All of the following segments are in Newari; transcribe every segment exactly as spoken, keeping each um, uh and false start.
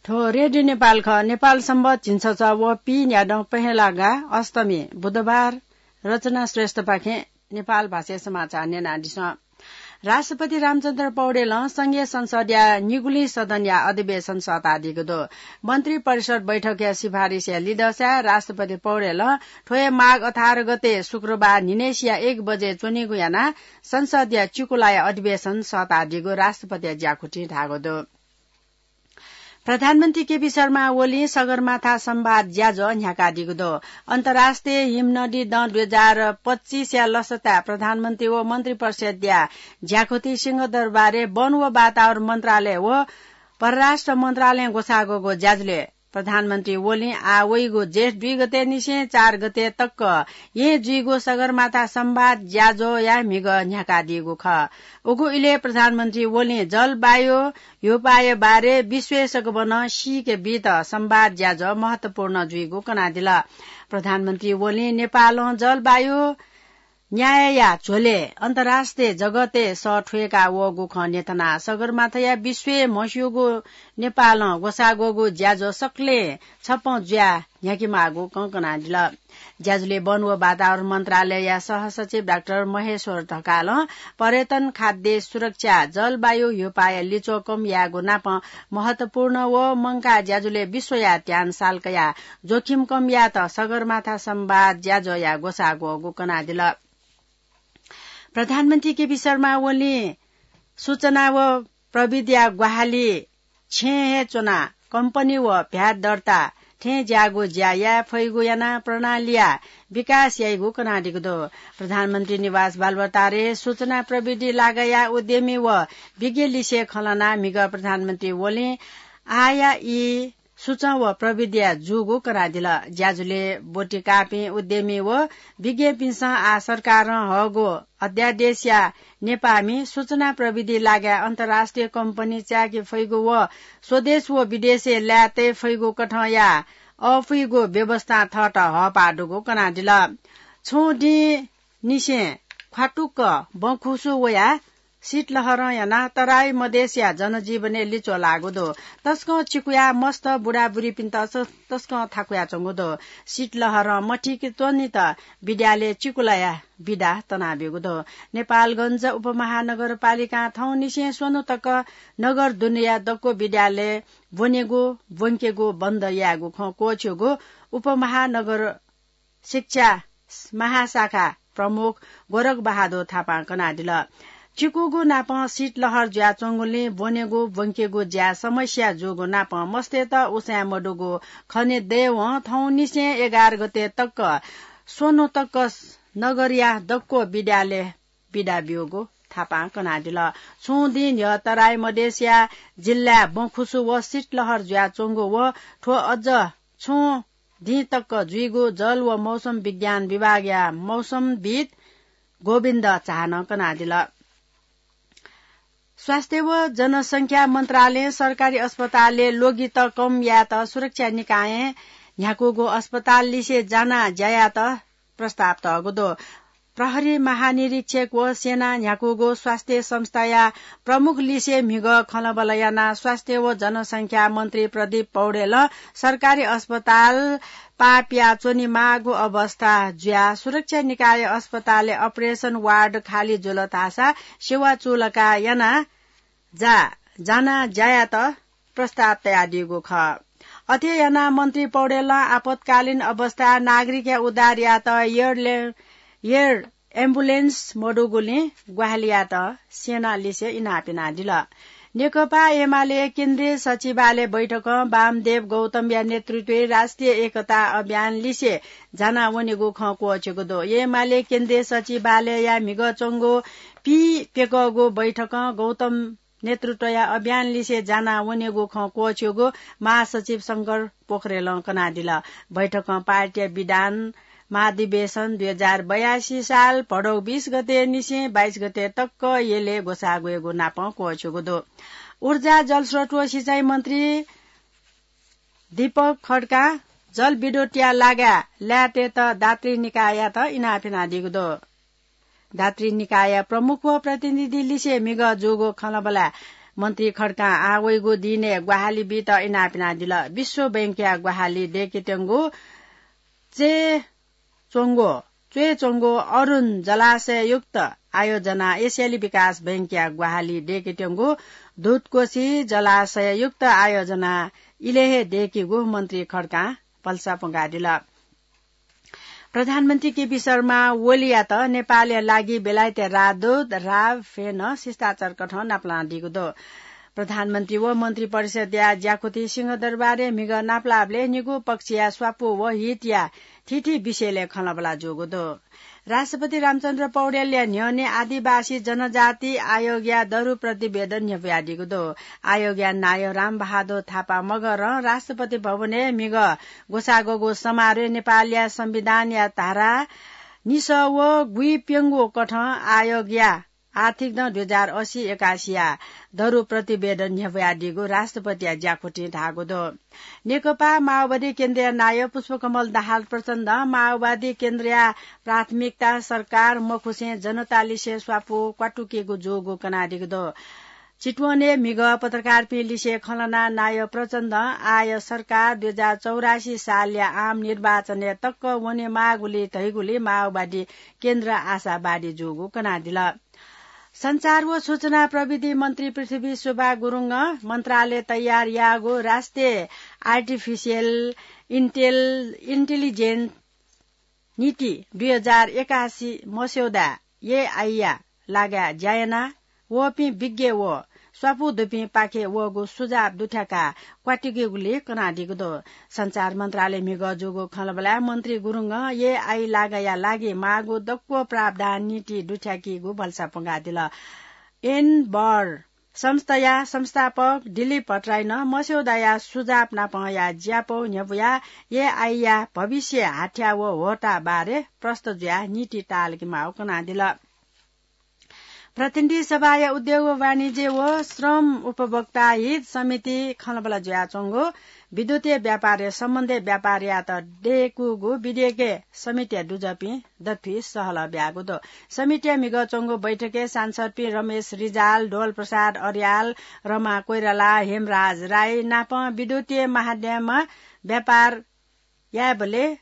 थ्व रेडियो नेपाल खः। नेपाल संवत झिंछसः व पीन्यादँ पहेँलागा अष्टमी बुधबार। रचना श्रेष्ठपाखें नेपाल भाषाय् समाचार न्यनादिसँ। राष्ट्रपति रामचन्द्र पौडेलं संघीय संसदया निगुलिं सदनया अधिवेशन सःतादीगु दु। मन्त्री परिषद बैठकया सिफारिसया लिधंसाय् राष्ट्रपति पौडेलं थ्व हे माघ अठार गते शुक्रबार न्हिनय्सिया एक बजे च्वनीगु यानाः संसदया चिकुलाया अधिवेशन सःतादीगु राष्ट्रपतिया ज्याकुथिं धाःगु दु। प्रधानमन्त्री केपी शर्मा ओलीं सगरमाथा संवाद ज्याझ्वः न्ह्याकादीगु दु। अन्तर्राष्ट्रिय हिमनदी दँ दुई हजार पच्चिसया लसताय् प्रधानमन्त्री व मन्त्री परिषदया ज्याकुथि सिंहदरबारय् वन व वातावरण मन्त्रालय व परराष्ट्र मन्त्रालयं ग्वसाः ग्वःगु ज्याझ्वलय् प्रधानमन्त्री ओलीं आः वइगु जेठ दुई गते निसें चार गते तक येँ जुइगु सगरमाथा संवाद ज्याझ्वःया म्हिगः न्ह्याकादीगु खः। उगु इलय् प्रधानमन्त्री ओलीं जलवायु ह्यूपाःया बारे विश्वय् सकभनं सीके बीत संवाद ज्याझ्वः महत्वपूर्ण जुइगु कनादिल। प्रधानमन्त्री ओलीं नेपालं जलवायु न्यायया झ्वलय् अन्तर्राष्ट्रिय जगतय् सः थ्वय्का वःगु खँ न्ह्यथनाः सगरमाथाया विश्वय् म्हस्यूगु नेपालं ग्वसाः ग्वःगु ज्याझ्वः सकलें छप्पँ जुयाः न्ह्याकेमाःगु खँ कनादिल। ज्याझ्वलय् वन व वातावरण मन्त्रालयया सहसचिव डाक्टर महेश्वर ढकालं पर्यटन, खाद्य सुरक्षा, जलवायु ह्यूपाःया लिच्वः कम यायेगु नापं महत्वपूर्ण व मंकाः ज्याझ्वलय् विश्वया ध्यान साल कयाः जोखिम कम यायेत सगरमाथा संवाद ज्याझ्वःया ग्वसाः ग्वःगु कनादिल। प्रधानमन्त्री केपी शर्मा ओलीं सूचना व प्रविधिया ग्वाहालि छेँय् हे च्वनाः कम्पनी व भ्याट दर्ता थें ज्याःगु ज्या याये फइगु यानाः प्रणालीया विकास याइगु कनादीगु दु। प्रधानमन्त्री निवास बालुवाटारय् सूचना प्रविधि लागःया उद्यमी व विज्ञ लिसे खँ ल्हानाः म्हिगः प्रधानमन्त्री ओलीं आःया ई सूचं व प्रविधिया जूगु कनादिल। ज्याझ्वलय् ब्वति काःपिं उद्यमी व विज्ञपिन्सं आः सरकारं हःगु अध्यादेशया नेपाःमि सूचना प्रविधि लागःया अन्तर्राष्ट्रिय कम्पनी चाय्के फइगु व स्वदेश व विदेशय् लाये तये फइगु कथंया अःपुइगु व्यवस्थां थःत हःपाः दुगु कनादिल। छुं दिं निसें ख्वातुक्क बँखुसु वयाः शीतलहरं यानाः तराई मधेसया जनजीवनय् लिच्वः लाःगु दु। तसकं चिकुया मस्त बुढाबुढीपिन्त स-, तसकं थाकुयाच्वंगु दु। शीतलहरं मथीके त्वनेत विद्यालय चिकुलाया बिदा तनाब्यूगु दु। नेपालगञ्ज उपमहानगरपालिकां थौंनिसें स्वन्हु तक नगर दुनेया दक्व विद्यालय ब्वनेगु, ब्वंकेगु बन्द यायेगु खँ क्वःछ्यूगु उपमहानगर शिक्षा महाशाखा प्रमुख गोरख बहादुर थापां कनादिल। चिकुगु नापं शीतलहर जुयाच्वंगुलिं ब्वनेगु ब्वंकेगु ज्याय् समस्या जूगु नापं मस्तय्त उसाँय् मदुगु खने दयेवं थौंनिसें एघार गते तक स्वन्हु तक नगरया दक्व विद्यालय बिदा ब्यूगु थापां कनादिल। छुं दिं न्ह्यः तराई मधेसया जिल्लाय् बँखुसु व शीतलहर जुयाच्वंगु व थ्व अझ छुं दिं तक जुइगु जल व मौसम विज्ञान विभागया मौसमविद् गोविन्द झानं कनादिल। स्वास्थ्य व जनसंख्या मन्त्रालयं सरकारी अस्पतालय् लोगित कम यायेत सुरक्षा निकायं न्ह्याकूगु अस्पताल लिसे जानाः ज्या यायेत प्रस्ताव तःगु दु। प्रहरी महानिरीक्षक व सेनां न्ह्याकूगु स्वास्थ्य संस्थाया प्रमुख लिसे म्हिगः खँल्हाबल्हा यानाः स्वास्थ्य व जनसंख्या मन्त्री प्रदीप पौडेलं सरकारी अस्पताल पाः पियाच्वनेमाःगु अवस्था जुयाः सुरक्षा निकाय अस्पतालय् operation ward खाली जुल धाःसा सेवा चूलाका यानाः जा, जानाः ज्या यायेत प्रस्ताव तयादीगु खः। अथे यानाः मन्त्री पौडेलं आपतकालीन अवस्थाय् नागरिकया उद्धार यायेत air ले-, air ambulance मदुगुलिं ग्वाहालि यायेत सेना लिसे इनाप यानादिल। नेकपा एमाले केन्द्रीय सचिवालय बैठकं वामदेव गौतमया नेतृत्वय् राष्ट्रिय एकता अभियान लिसे जाना वनेगु खँ क्वःछ्यूगु दु। एमाले केन्द्रीय सचिवालयया म्हिगः च्वंगु पीप्यकःगु बैठकं गौतम नेतृत्वया अभियान लिसे जाना वनेगु खँ क्वःछ्यूगु महासचिव शंकर पोखरेलं कनादिल। बैठकं पार्टीया विधान महाधिवेशन दुई हजार बयासी साल भदौ बीस गते निसें बाइस गते तक यलय् ग्वसाः ग्वयेगु नापं क्वःछ्यूगु दु। ऊर्जा, जलस्रोत व सिँचाइ मन्त्री दीपक खड्कां जलविद्युतया लागाय् लायेतय्त दात्री निकाययात इनाप यानादीगु दु। दात्री निकाय प्रमुख व प्रतिनिधि लिसे म्हिगः जूगु खँल्हाबल्हाय् मन्त्री खड्कां आः वइगु दिनय् ग्वाहालि बीत इनाप यानादिल। विश्व बैंकया ग्वाहालि दय्केत्यंगु च्वय् च्वंगु, च्वय् च्वंगु अरुण जलाशययुक्त आयोजना एसियाली विकास बैंकया ग्वाहालि दय्केत्यंगु दूधकोशी जलाशययुक्त आयोजना इलय् हे दय्केगु मन्त्री खड्कां भलसा प्वंकादिल। प्रधानमन्त्री केपी शर्मा ओलीयात नेपालया लागि बेलायतया राजदूत राव फेनं शिष्टाचार कथं नापलानादीगु दु। प्रधानमन्त्री व मन्त्री परिषदया ज्याकुथि सिंहदरबारय् म्हिगः नापलाःबलय् निगू पक्षया स्वापू व हितया थीथी विषयलय् खँल्हाबल्हा जूगु दु। राष्ट्रपति रामचन्द्र पौडेलया न्ह्यःने आदिवासी जनजाति आयोगया दरु प्रतिवेदन न्ह्यब्वयादीगु दु। आयोगया नायः रामबहादुर थापा मगरं राष्ट्रपति भवनय् म्हिगः ग्वसाःग्वःगु समारोहय् नेपालया संविधानया धारा निसः व गुइप्यंगू कथं आयोगया आर्थिक दँ दुई हजार असी एकासीया दरु प्रतिवेदन न्ह्यब्वयादीगु राष्ट्रपतिया ज्याकुथिं धाःगु दु। नेकपा माओवादी केन्द्रया नायः पुष्पकमल दाहाल प्रचण्डं माओवादी केन्द्रया प्राथमिकता सरकार मखुसें जनतालिसे स्वापू क्वातुकेगु जूगु कनादीगु दु। चितवनय् म्हिगः पत्रकारपिं लिसे खँ ल्हानाः नायः प्रचण्डं आः सरकार दुई हजार चौरासी सालया आम निर्वाचनय् तक वनेमाःगुलिं धइगुलिं माओवादी केन्द्र आशावादी जूगु कनादिल। सञ्चार व सूचना प्रविधि मन्त्री पृथ्वी शोभा गुरुङं मन्त्रालय तयार याःगु राष्ट्रिय आर्टिफिसियल इन्टेल-, इन्टेलिजेन्स नीति दुई हजार एकासी मस्यौदा एआईया लागाय् ज्या याना वःपिं विज्ञ व स्वापू दुपिं पाखे वःगु सुझाव दुथ्याकाः क्वातुकेगुलिं कनादीगु दु। सञ्चार मन्त्रालय म्हिगः जूगु खँल्हाबल्हाय् मन्त्री गुरुङं एआई लागाया लागि माःगु दक्व प्रावधान नीति दुथ्याकीगु भलसा प्वंकादिल। एनबर संस्थाया संस्थापक दिलीप भट्टराईनं मस्यौदाया सुझाव नापंया ज्यापौ न्ह्यब्वयाः एआईया भविष्य हाथ्या व होता बारे प्रष्ट जुयाः नीति ताःलाकेमाःगु कनादिल। प्रतिनिधि सभाया उद्योग व वाणिज्य व श्रम उपभोक्ता हित समिति खँल्हाबल्हा जुयाच्वंगु विद्युतीय व्यापारया सम्बन्धय् व्यापार यायेत दय्कूगु विधेयकय् समितिया दुजःपिं दथुइ सहलह ब्याःगु दु। समितिया म्हिगः च्वंगु बैठकय् सांसदपिं रमेश रिजाल, डोल प्रसाद अर्याल, रमा कोइराला, हेमराज राई नाप विद्युतीय माध्यमं व्यापार यायेबलय्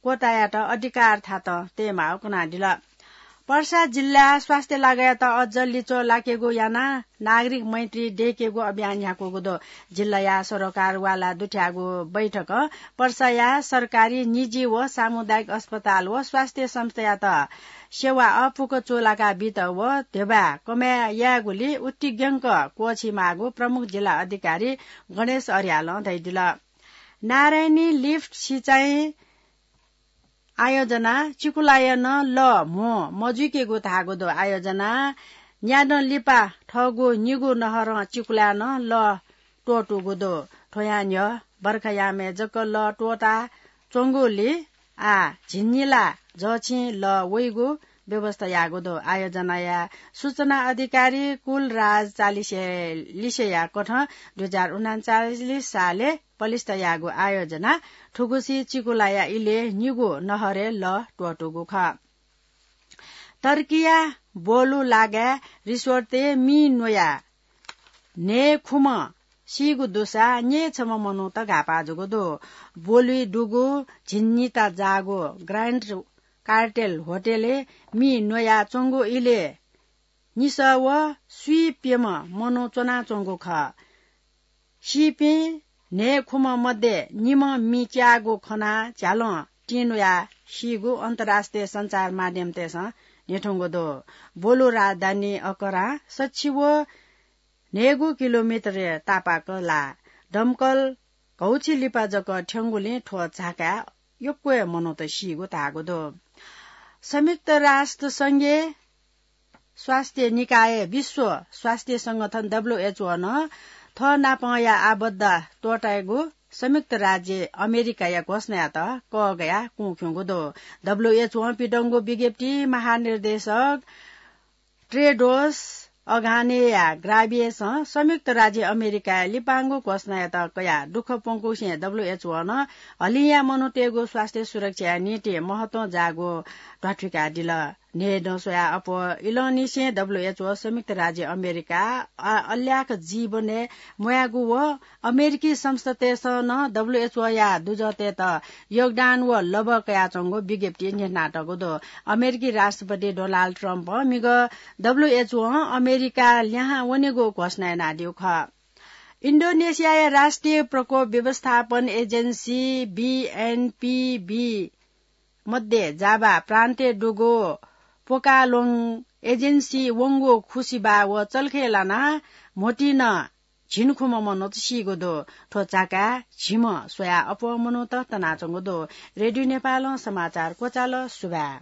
क्वतायात अधिकार थातं तयेमाःगु कनादिल। पर्सा जिल्ला स्वास्थ्य लागायात अझ लिच्वः लाकेगु यानाः नागरिक मैत्री दय्केगु अभियान न्ह्याकूगु दु। जिल्लाया सरोकारवाला दुथ्याःगु बैठकं पर्साया सरकारी, निजी व सामुदायिक अस्पताल व स्वास्थ्य संस्थायात सेवा अःपुक चूलाका बीत व ध्यबा कमय् यायेगुलिं उत्तिग्यंक क्वःछीमाःगु प्रमुख जिल्ला अधिकारी गणेश अर्यालं धयादिल। नारायणी लिफ्ट सिँचाइ आयोजना चिकुलाया नं लः म्हो मजुइकेगु धाःगु दु। आयोजना न्यादँ लिपा थःगु निगू नहरं चिकुलाया नं लः त्वःतूगु दु। थ्वयां न्ह्यः बर्खायामय् जक लः त्वःता च्वंगुलिं आः झिंनिला जःछिं लः वइगु व्यवस्था याःगु दु। आयोजनाया सूचना अधिकारी कुलराज चालिसे लिसेया कथं दुई हजार उनाचालिस सालय् पलिस्था याःगु आयोजना थुगुसी चिकुलाया इलय् निगू नहरय् लः त्वःतूगु खः। टर्कीया बोलु लागाय् रिसोर्टय् मि न्वयाः न्हय् खुम्ह सीगु दुसा न्यय् छम्ह मनूत घाःपाः जूगु दु। बोलुइ दुगु झिंनिता जाःगु ग्रान्ड कार्टेल होटलय् मि न्वयाच्वंगु इलय् निसः व स्वीप्यम्ह मनू च्वनाच्वंगु खः। सीपिं न्हय् खुम्ह मध्ये निम्ह मि च्याःगु खनाः झ्यालं तिंन्वयाः सीगु अन्तर्राष्ट्रिय सञ्चार माध्यमतय्सं न्ह्यथंगु दु। बोलु राजधानी अकरां सच्छि व न्हय्गू किलोमिटरया तापाक लाः। दमकल घौछि लिपा जक थ्यंगुलिं थ्व झाकाय् यक्व हे मनूत सीगु धाःगु दु। संयुक्त राष्ट्र संघीय स्वास्थ्य निकाय, विश्व स्वास्थ्य संगठन, डब्ल्यूएचओ नं थः नापंया आबद्धा त्वःतायेगु संयुक्त राज्य अमेरिकाया घोषणायात कःघायाः कुँ ख्यूगु दु। डब्ल्यूएचओं पिदंगु विज्ञप्ति महानिर्देशक टेड्रोस अधानोम घेब्रेयेससं संयुक्त राज्य अमेरिकाया लिपांगु घोषणायात कयाः दुःख प्वंकुसें डब्ल्यूएचओ नं हलिंया मनूतय्गु स्वास्थ्य सुरक्षाया निंतिं महत्वं जाःगु ध्वाथुइकादिल। न्ह्यः नं स्वया अप्वः इलंनिसें डब्ल्यूएचओ संयुक्त राज्य अमेरिका अल्याक जीवनय् म्वायेगु व अमेरिकी संस्थातय्सं नं डब्ल्यूएचओया दुजःतय्त योगदान व लभ्व कयाच्वंगु विज्ञप्ति न्ह्यथनातःगु दु। अमेरिकी राष्ट्रपति डोनाल्ड ट्रम्पं मिगः डब्ल्यूएचओं अमेरिका ल्याहां वनेगु घोषणा यानादीगु खः। इन्डोनेसियाया राष्ट्रिय प्रकोप व्यवस्थापन एजेन्सी बीएनपीबी मध्ये जाभा प्रान्तय् दुगु पोकालोङ एजेन्सी वंगु खुसिबा व चल्खय् लानाः म्होतिं झिंखुम्ह मनूत सीगु दु। थ्व चाकाय् झिम्ह स्वया अप्वः मनूत तनाच्वंगु दु। रेडियो नेपालं समाचार क्वचाल। सुभाय्।